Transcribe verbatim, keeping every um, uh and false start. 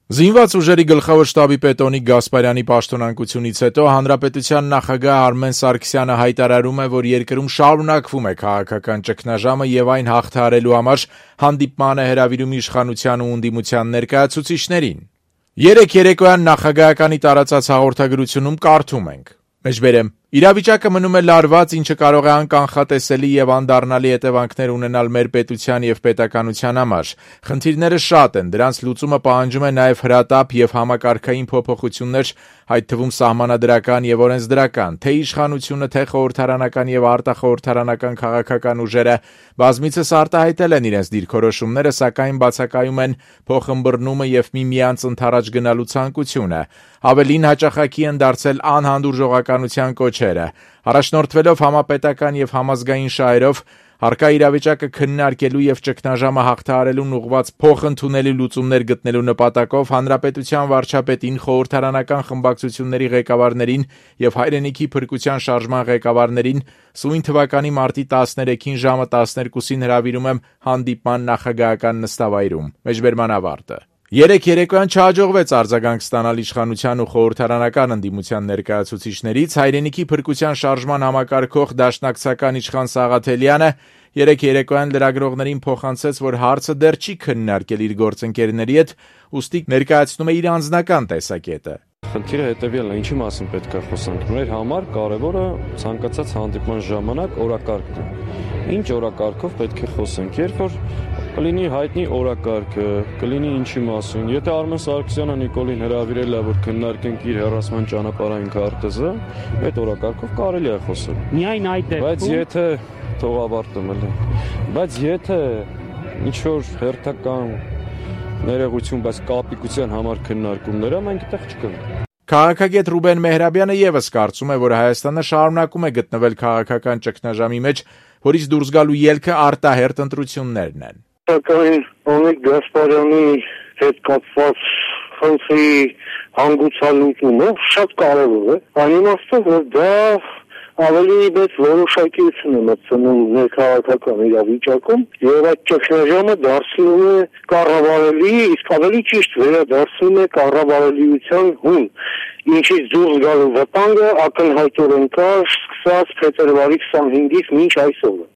Զինված ուժերի գլխավոր շտաբի պետ Օնիկ Գասպարյանի պաշտոնանկությունից հետո հանրապետության նախագահ Արմեն Սարգսյանը հայտարարում է, որ երկրում շարունակվում է քաղաքական ճգնաժամը եւ այն հաղթահարելու համար հանդիպման է հրավիրում իշխանության ու ընդդիմության ներկայացուցիչներին։ Երեկ երեկոյան նախագահականի տարածած հաղորդագրությունում կարդում ենք. Մեջբերեմ. Իրավիճակը մնում է լարված, ինչը կարող է անկանխատեսելի եւ անդառնալի հետևանքներ ունենալ մեր պետության եւ պետականության համար։ Խնդիրները շատ են, դրանց լուծումը պահանջում է նաեւ հրատապ եւ համակարգային փոփոխություններ, այդ թվում սահմանադրական եւ օրենսդրական, թե իշխանությունը, թե խորհրդարանական եւ արտախորհրդարանական քաղաքական ուժերը բազմիցս արտահայտել են իրենց դիրքորոշումները, սակայն բացակայում են փոխըմբռնումը եւ միմյանց ընդառաջ գնալու ցանկությունը։ Ավելին հաճախակի են դարձել անհանդուրժողականության կոչերը։ Առաջնորդվելով համապետական եւ համազգային շահերով, հարկա իրավիճակը քննարկելու եւ ճգնաժամը հաղթահարելուն ուղղված փոխընդունելի լուծումներ գտնելու նպատակով հանրապետության վարչապետին, խորհրդարանական խմբակցությունների ղեկավարներին եւ հայրենիքի փրկության շարժման ղեկավարներին սույն թվականի մարտի տասներեքին ժամը տասներկուսին հրավիրում եմ հանդիպման նախագահական նստավայրում։ Մեջբերման ավարտը։ Երեկ երեկոյան չհաջողվեց արձագանք ստանալ իշխանության ու խորհրդարանական ընդդիմության ներկայացուցիչներից, հայրենիքի փրկության շարժման համակարգող դաշնակցական իշխան Սաղաթելյանը երեկ երեկոյան լրագրողներին փոխանցեց, որ հարցը դեռ չի քննարկել իր գործընկերների հետ, ուստի ներկայացնում է իր անձնական տեսակետը։ Խնդիրը հետևյալն է, ինչի մասին պետք է խոսանք։ Մեր համար կարևորը ցանկացած հանդիպման ժամանակ օրակարգն է։ Ինչ օրակարգով պետք է խոսենք, երբ որ կլինի հայտնի օրակարգը, կլինի ինչի մասին։ Եթե Արմեն Սարգսյանը Նիկոլին հրավիրել է, որ քննարկենք իր հեռացման ճանապարհային քարտեզը, այդ օրակարգով կարելի է խոսել։ Միայն այդ դեպքում։ Բայց եթե թող ավարտեմ էլ։ Բայց եթե ինչ որ հերթական ներողություն, բայց կապիկության համար քննարկումները մենք այդտեղ չկնք։ Քաղաքագետ Ռուբեն Մեհրաբյանը եւս կարծում է, որ Հայաստանը շարունակում է գտնվել քաղաքական ճգնաժամի մեջ, որից դուրս գալու ելքը արտահերթ ընտրություններն են։ Սակայն Օնիկ Գասպարյանի հետ կապված խնդրի հանգուցալուծումը շատ կարևոր է։ Այն իմաստով, որ դա ավելի մեծ որոշակիություն է մտցնում ներքաղաքական իրավիճակում եւ այդ ճգնաժամը դարձնում է կառավարելի, իսկ ավելի ճիշտ վերադարձնում է կառավարելիության հուն, ինչից դուրս գալու վտանգը ակնհայտորեն կա սկսած փետրվարի քսանհինգից մինչ այսօր։